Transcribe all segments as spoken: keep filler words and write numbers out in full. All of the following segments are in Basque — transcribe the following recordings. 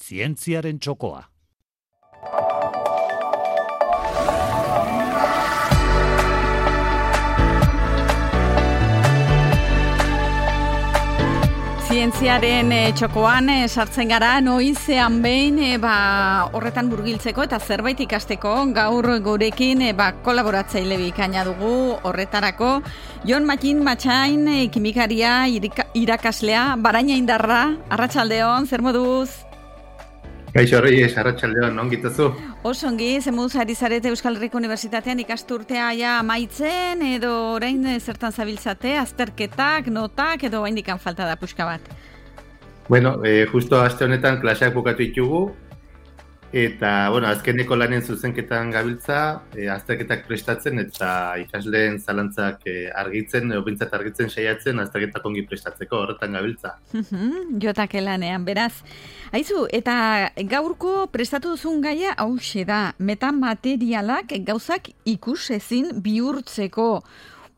Zientziaren txokoa. Zientziaren e, txokoan e, sartzen gara noizean behin e, ba, horretan burgiltzeko eta zerbait ikasteko gaur gurekin e, ba, kolaboratzaile bikaina dugu horretarako. Jon Matin Matxain, e, kimikaria, irika, irakaslea, Baraina Indarra, arratsaldeon, zer moduz? Kaixo Reyes, arratsaldeon, ongitazu? Oso ongi, zer moduz ari zarete Euskal Herriko Unibertsitatean ikasturtea ja amaitzen, edo orain zertan zabiltzate, azterketak, notak, edo oraindik falta da puska bat? Bueno, eh, justo aste honetan klaseak bukatu ditugu, eta, bueno, azkeneko lanen zuzenketan gabiltza, eh, azterketak prestatzen, eta ikasleen zalantzak eh, argitzen, edo bintzat argitzen saiatzen, azterketak ongi prestatzeko, horretan gabiltza. Jotake lanean, beraz. Aizu, eta gaurko prestatu duzun gaia hauxe da, metamaterialak gauzak ikusezin bihurtzeko.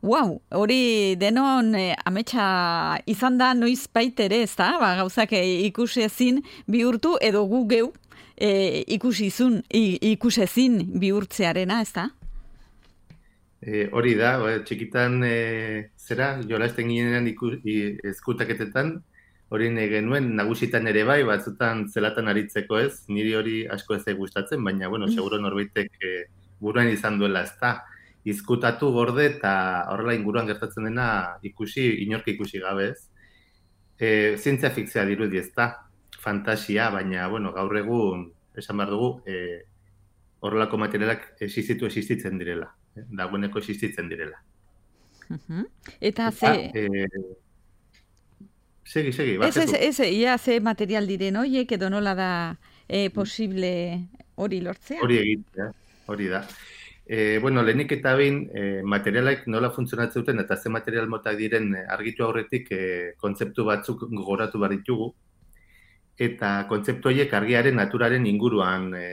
Wow, hori denon eh, ametsa izan da noiz baitere, ez da? Ba, gauzak eh, ikusezin bihurtu edo gu geu eh, ikusizun, ikusezin bihurtzearena, ez da? E, hori da, txikitan e, zera, jolasten ginean eskutaketetan, hori genuen nagusitan ere bai, batzutan zelatan aritzeko ez, niri hori asko ez gustatzen, baina, bueno, seguro norbaitek e, buruan izan duela ez da. Izkutatu gorde eta horrela inguruan gertatzen dena ikusi, inork ikusi gabe ez. E, zientzia fikzioa dirudi ez da, fantasia, baina, bueno, gaur egun, esan behar dugu, e, horrelako materialak existitu existitzen direla. Eh? Dagoeneko existitzen direla. Uh-huh. Eta ze... Ah, e, segi, segi, ez, ez, ez, ia ze material diren horiek edo nola da e, posible hori lortzea? Hori egitea, hori da. E, bueno, lehenik eta behin e, materialak nola funtzionatzen duten eta ze material motak diren argitu aurretik e, kontzeptu batzuk gogoratu behar ditugu. Eta kontzeptu horiek argiaren naturaren inguruan e,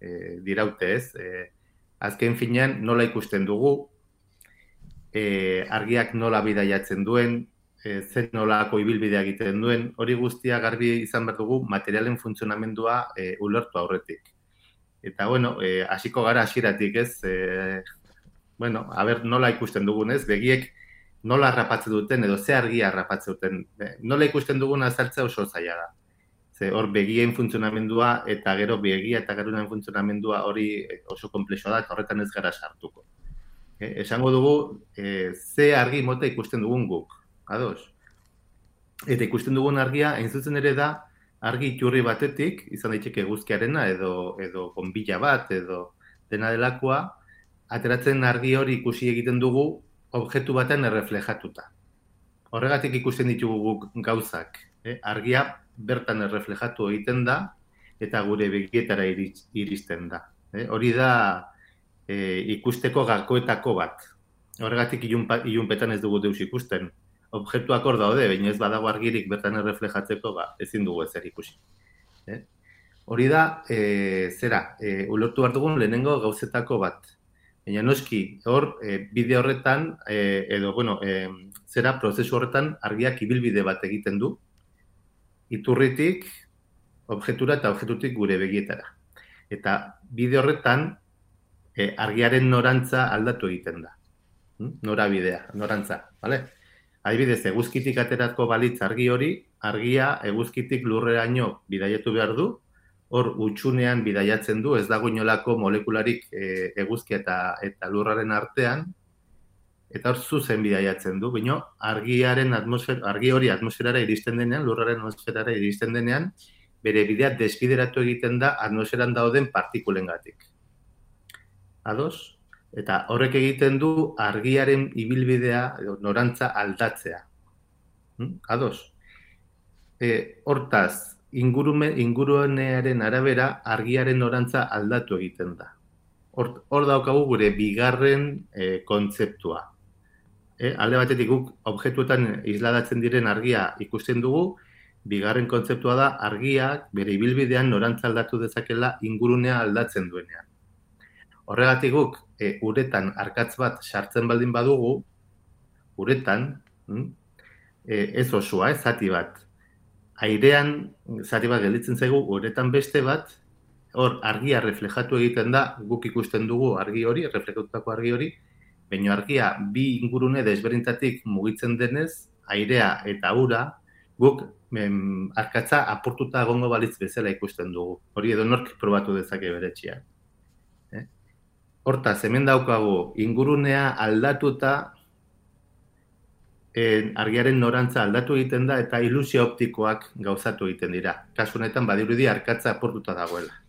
e, diraute ez. E, azken finean nola ikusten dugu, e, argiak nola bidaiatzen duen, e, zer nolako ibilbidea egiten duen, hori guztia garbi izan behar dugu materialen funtzionamendua e, ulertu aurretik. Eta, bueno, eh, hasiko gara hasieratik ez, eh, bueno, a ber, nola ikusten dugunez, begiek nola harrapatzen duten, edo ze argia harrapatzen duten. Nola ikusten dugun azaltzea oso zaila da. Ze hor begien funtzionamendua eta gero begia eta garunan funtzionamendua hori oso konplexua da, eta horretan ez gara sartuko. Eh, esango dugu, eh, ze argi mota ikusten dugun guk, ados? Eta ikusten dugun argia, hain zuzen ere da, argi iturri batetik, izan daiteke eguzkiarena edo edo bonbilla bat edo dena delakoa, ateratzen argi hori ikusi egiten dugu objektu batean erreflejatuta. Horregatik ikusten ditugu guk gauzak, eh? Argia bertan erreflejatu egiten da eta gure begietara iristen da. Eh? Hori da eh, ikusteko gakoetako bat. Horregatik ilunpa, ilunpetan ez dugu deus ikusten. Objektuak hor daude, baina ez badago argirik bertan erreflejatzeko, ba, ezin dugu ezer ikusi. Eh? Hori da, e, zera, e, ulertu behar dugun lehenengo gauzetako bat. Baina noski, hor, e, bide horretan, e, edo, bueno, e, zera, prozesu horretan argiak ibilbide bat egiten du, iturritik, objektura eta objektutik gure begietara. Eta bide horretan, e, argiaren norantza aldatu egiten da. Hm? Norabidea, norantza, bale? Adibidez, eguzkitik aterako balitz argi hori, argia eguzkitik lurreraino bidaiatu behar du, hor utxunean bidaiatzen du, ez dago inolako molekularik e, eguzkia eta, eta lurraren artean, eta hor zuzen bidaiatzen du, baina argiaren atmosfer, argi hori atmosferara iristen denean, lurraren atmosferara iristen denean, bere bidea desbideratu egiten da atmosferan dauden partikulengatik. Ados? Eta horrek egiten du argiaren ibilbidea, norantza aldatzea. Hm? Ados? E, hortaz, ingurume, ingurunearen arabera argiaren norantza aldatu egiten da. Hor, hor daukagu gure bigarren e, kontzeptua. E, alde batetik guk objektuetan isladatzen diren argia ikusten dugu, bigarren kontzeptua da argiak bere ibilbidean norantza aldatu dezakela ingurunea aldatzen duenean. Horregatik guk e, uretan arkatz bat sartzen baldin badugu, uretan, hm, e, ez osoa, ez zati bat. airean zati bat gelditzen zaigu, uretan beste bat, hor argia reflejatu egiten da, guk ikusten dugu argi hori, reflejatutako argi hori, baina argia bi ingurune desberdintatik mugitzen denez, airea eta ura, guk em, arkatza apurtuta egongo balitz bezala ikusten dugu. Hori edo nork probatu dezake bere etxean. Eh? Hortaz, hemen daukagu ingurunea aldatuta, eh, argiaren norantza aldatu egiten da eta ilusio optikoak gauzatu egiten dira. Kasu honetan badirudi arkatza apurtuta dagoela.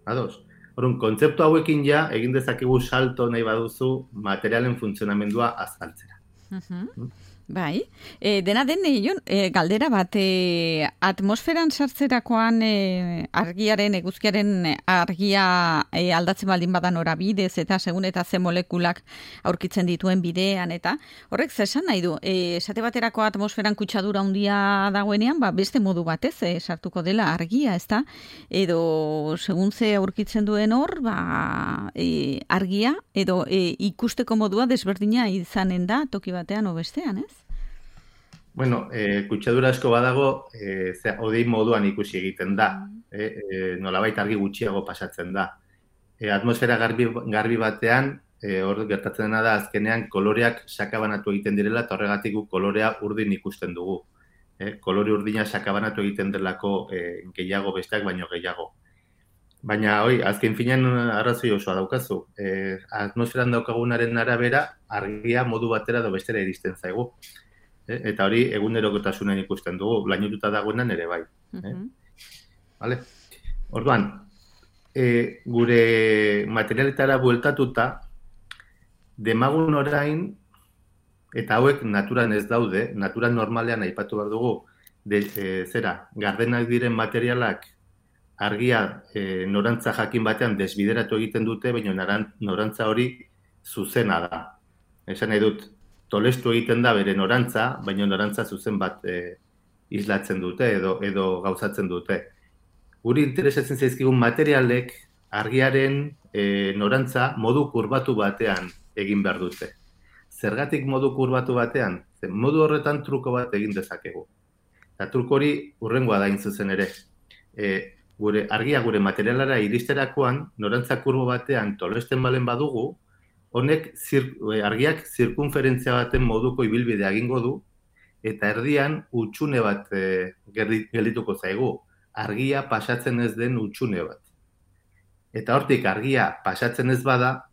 Ados? Orduan, kontzeptu hauekin ja egin dezakegu salto nahi baduzu materialen funtzionamendua azaltzera. Mhm. Bai, e, dena den, e, Jon, e, galdera bat, e, atmosferan sartzerakoan e, argiaren, eguzkiaren argia e, aldatzen baldin badan norabidez eta segun eta ze molekulak aurkitzen dituen bidean eta horrek zesan nahi du, e, esate baterako atmosferan kutsadura handia dagoenean, ba, beste modu batez e, sartuko dela argia, ezta? Edo segun ze aurkitzen duen hor, ba, e, argia edo e, ikusteko modua desberdina izanen da toki batean o bestean, ez? Bueno, eh, kutsadura asko badago, eh, zera, odei moduan ikusi egiten da. Eh, eh, nolabait argi gutxiago pasatzen da. Eh, atmosfera garbi, garbi batean, eh, hor gertatzen dena da, azkenean koloreak sakabanatu egiten direla, eta horregatik guk kolorea urdin ikusten dugu. Eh, kolore urdina sakabanatu egiten delako eh, gehiago besteak baino gehiago. Baina, hoi, azken finean arrazoi osoa daukazu. Eh, atmosferan daukagunaren arabera, argia modu batera edo bestera iristen zaigu. Eta hori egunerokotasunen ikusten dugu, lainotuta dagoenan ere bai. Eh? Vale? Orduan, e, gure materialetara bueltatuta, demagun orain, eta hauek naturan ez daude, naturan normalean aipatu behar dugu, de, e, zera, gardenak diren materialak argia e, norantza jakin batean desbideratu egiten dute, baina norantza hori zuzena da. Esan nahi dut, tolestu egiten da bere norantza, baina norantza zuzen bat e, islatzen dute edo edo gauzatzen dute. Guri interesatzen zaizkigun materialek argiaren e, norantza modu kurbatu batean egin behar dute. Zergatik modu kurbatu batean? Zer, modu horretan truko bat egin dezakegu. Eta truko hori hurrengoa da hain zuzen ere. E, gure argia gure materialara iristerakoan norantza kurbo batean tolesten balen badugu, honek zir, argiak zirkunferentzia baten moduko ibilbidea egingo du, eta erdian hutsune bat e, geldituko zaigu. Argia pasatzen ez den hutsune bat. Eta hortik argia pasatzen ez bada,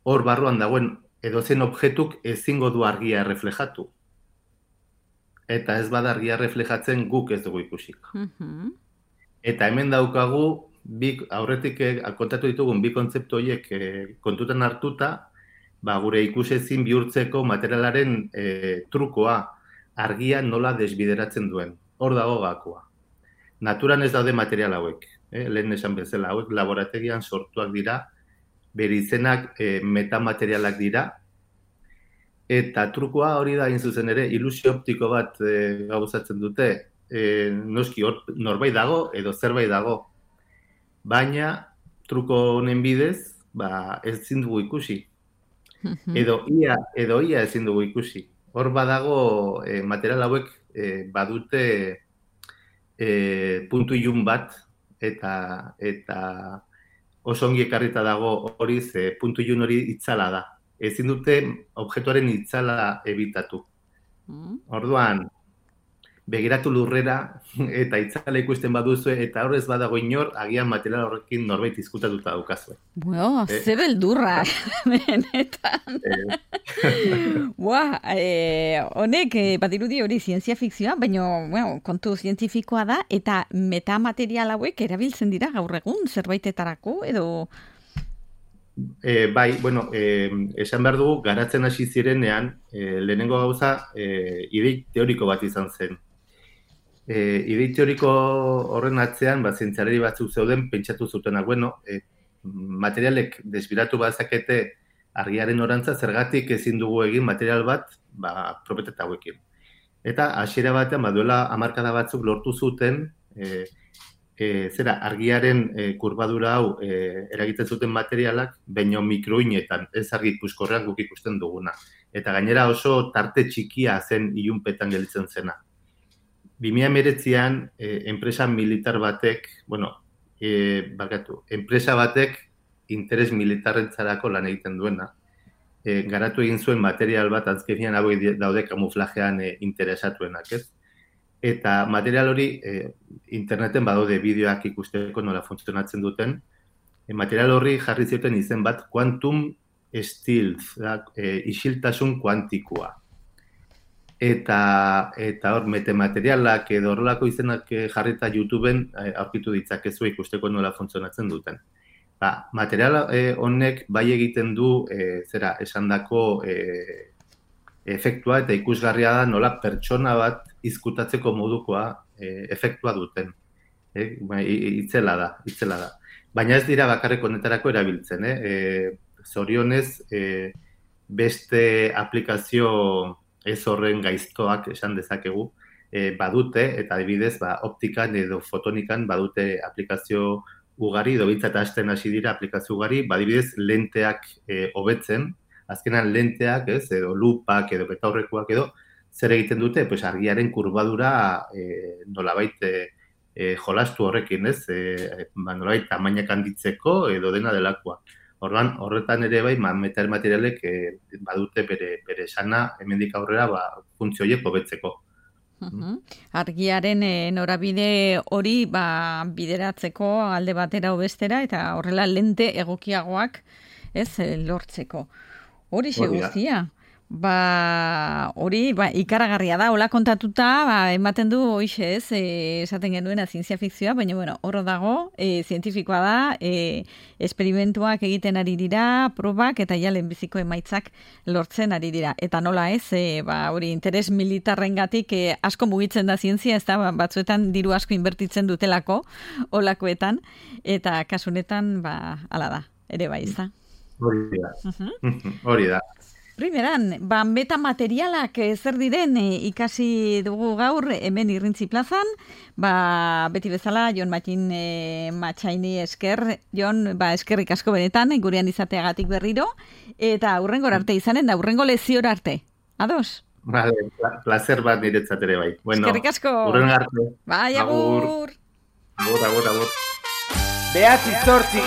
hor barruan dagoen edozein objektuk ezingo du argia erreflejatu. Eta ez bada argia erreflejatzen guk ez dugu ikusiko. Mm-hmm. Eta hemen daukagu, bi, aurretik kontatu ditugun bi kontzeptu horiek e, kontutan hartuta, ba, gure ikusezin bihurtzeko materialaren e, trukoa, argia nola desbideratzen duen. Hor dago gakoa. Naturan ez daude material hauek. Eh? Lehen esan bezala, hauek laborategian sortuak dira, bere izenak e, metamaterialak dira, eta trukoa hori da hain zuzen ere, ilusio optiko bat e, gauzatzen dute, e, noski hor, norbait dago edo zerbait dago. Baina, truko honen bidez, ba, ezin dugu ikusi. Edo ia, edo ia ezin dugu ikusi. Hor badago, e, material hauek e, badute e, puntu ilun bat, eta eta oso ongi ekarrita dago hori, ze puntu ilun hori itzala da. Ezin dute objektuaren itzala ebitatu. Orduan, begiratu lurrera eta itzala ikusten baduzue, eta horrez badago inor, agian material horrekin norbait izkutatuta daukazue. Bueno, eh? Ze beldurra, benetan. Buah, eh, honek, eh, badirudi hori zientzia fikzioa, baina bueno, kontu zientifikoa da, eta metamaterial hauek erabiltzen dira gaur egun, zerbaitetarako, edo... E, bai, bueno, e, esan behar dugu, garatzen hasi zirenean, e, lehenengo gauza, e, idei teoriko bat izan zen. E, idei teoriko horren atzean, ba, zientzialari batzuk zeuden, pentsatu zutenak, bueno, e, materialek desbiratu bazakete argiaren orantza, zergatik ezin dugu egin material bat, ba, propietatea hauekin. Eta, hasiera batean, ba, duela hamarkada batzuk lortu zuten, e, E, zera, argiaren e, kurbadura hau e, eragiten zuten materialak, baino mikroinetan, ez argi puskorrean guk ikusten duguna. Eta gainera oso tarte txikia zen ilunpetan gelditzen zena. bi mila hemeretzian eh, enpresa militar batek, bueno, eh, bakatu, enpresa batek interes militarrentzarako lan egiten duena, eh, garatu egin zuen material bat, azkenean hauek daude kamuflajean eh, interesatuenak, ez? Eta material hori eh, interneten badaude bideoak ikusteko nola funtzionatzen duten, e, material horri jarri zioten izen bat quantum stealth, da, e, isiltasun kuantikoa. Eta eta hor metamaterialak edo horrelako izenak jarrita YouTubeen eh, aurkitu ditzakezu ikusteko nola funtzionatzen duten. Ba, material eh, honek bai egiten du eh, zera esandako eh, efektua eta ikusgarria da nola pertsona bat izkutatzeko modukoa eh, efektua duten. Eh, ba, itzela da, itzela da. Baina ez dira bakarrik honetarako erabiltzen, eh? E, zorionez eh, beste aplikazio ez horren gaiztoak esan dezakegu, e, badute, eta adibidez, ba, optikan edo fotonikan badute aplikazio ugari, edo bintzat hasten hasi dira aplikazio ugari, badibidez lenteak e, hobetzen, azkenan lenteak, ez, edo lupak, edo betaurrekoak edo, zer egiten dute, pues, argiaren kurbadura e, nolabait e, e, jolastu horrekin, ez, e, ba, nolabait tamainak handitzeko edo dena delakoa. Orduan, horretan ere bai, metal materialek eh, badute bere bere esana hemendik aurrera ba funtzio horiek hobetzeko. Uh-huh. Argiaren e, norabide hori ba bideratzeko alde batera o bestera eta horrela lente egokiagoak, ez, lortzeko. Hori xe guztia. Ba, hori ba, ikaragarria da, hola kontatuta, ba, ematen du hoixe ez, e, esaten genuena zientzia fikzioa, baina bueno, horro dago, e, zientifikoa da, e, esperimentuak egiten ari dira, probak eta ja lehenbiziko emaitzak lortzen ari dira. Eta nola ez, e, ba, hori interes militarrengatik e, asko mugitzen da zientzia, ez da, ba, batzuetan diru asko inbertitzen dutelako, holakoetan, eta kasunetan, ba, hala da, ere bai, ez da. Hori da, uh-huh. Hori da. Primeran, ba, metamaterialak zer diren e, ikasi dugu gaur hemen Irrintzi plazan, ba, beti bezala Jon Matin e, Matxaini esker, Jon, ba, eskerrik asko benetan, gurean izateagatik berriro, eta aurrengo arte izanen da, aurrengo leziora arte. Ados? Vale, placer bat niretzat ere bai. Bueno, eskerrik asko. Urren arte. Bai, agur. Agur, agur, agur. Behatzi zortzi